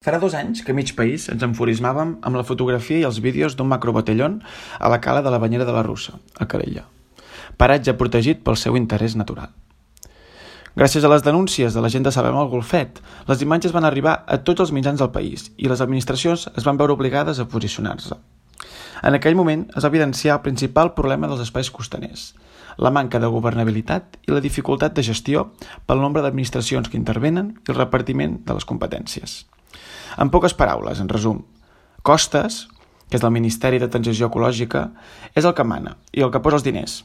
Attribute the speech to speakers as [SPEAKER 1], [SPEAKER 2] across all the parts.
[SPEAKER 1] Farà 2 anys que mig país ens enfurismàvem amb la fotografia i els vídeos d'un macrobotellón a la cala de la Banyera de la Russa, a Calella, paratge protegit pel seu interès natural. Gràcies a les denúncies de la gent de Sabem el Golfet, les imatges van arribar a tots els mitjans del país i les administracions es van veure obligades a posicionar-se. En aquell moment es va evidenciar el principal problema dels espais costaners, la manca de governabilitat i la dificultat de gestió pel nombre d'administracions que intervenen i el repartiment de les competències. En poques paraules, en resum, Costes, que és del Ministeri de Transició Ecològica, és el que mana i el que posa els diners.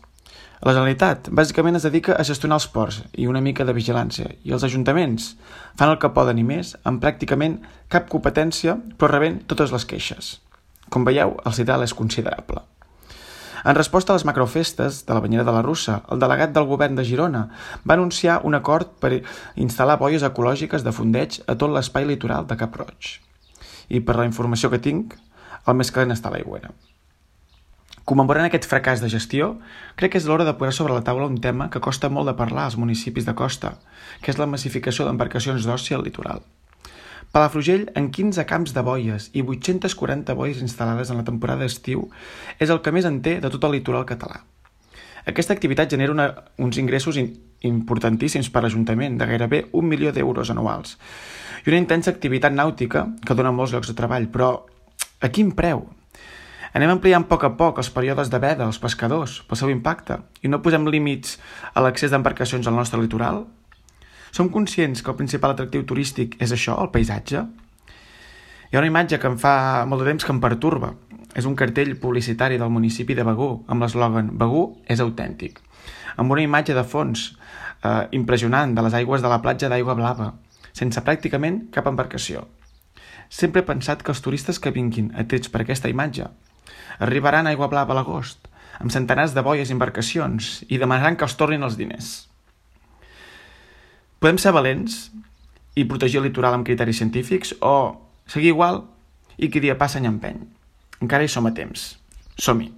[SPEAKER 1] La Generalitat, bàsicament, es dedica a gestionar els ports i una mica de vigilància, i els ajuntaments fan el que poden i més, amb pràcticament cap competència, però rebent totes les queixes. Com veieu, el sidral és considerable. En resposta a les macrofestes de la Banyera de la Russa, el delegat del govern de Girona va anunciar un acord per instal·lar boies ecològiques de fondeig a tot l'espai litoral de Cap Roig. I per la informació que tinc, el més calent està a l'Aigüera. Commemorant aquest fracàs de gestió, crec que és l'hora de posar sobre la taula un tema que costa molt de parlar als municipis de costa, que és la massificació d'embarcacions d'oci al litoral. Palafrugell, en 15 camps de boies i 840 boies instal·lades en la temporada d'estiu, és el que més en té de tot el litoral català. Aquesta activitat genera uns ingressos importantíssims per l'Ajuntament, de gairebé 1 milió d'euros anuals, i una intensa activitat nàutica que dona molts llocs de treball, però a quin preu? Anem ampliant a poc els períodes de veda als pescadors pel seu impacte i no posem límits a l'accés d'embarcacions al nostre litoral? Som conscients que el principal atractiu turístic és això, el paisatge? Hi ha una imatge que em fa molt de temps que em pertorba. És un cartell publicitari del municipi de Begur, amb l'eslògan «Begur és autèntic», amb una imatge de fons impressionant de les aigües de la platja d'Aigua Blava, sense pràcticament cap embarcació. Sempre he pensat que els turistes que vinguin atrets per aquesta imatge arribaran a Aigua Blava a l'agost, amb centenars de boies i embarcacions, i demanaran que els tornin els diners. Podem ser valents i protegir el litoral amb criteris científics o seguir igual i qui dia passa any empeny. Encara hi som a temps. Som-hi!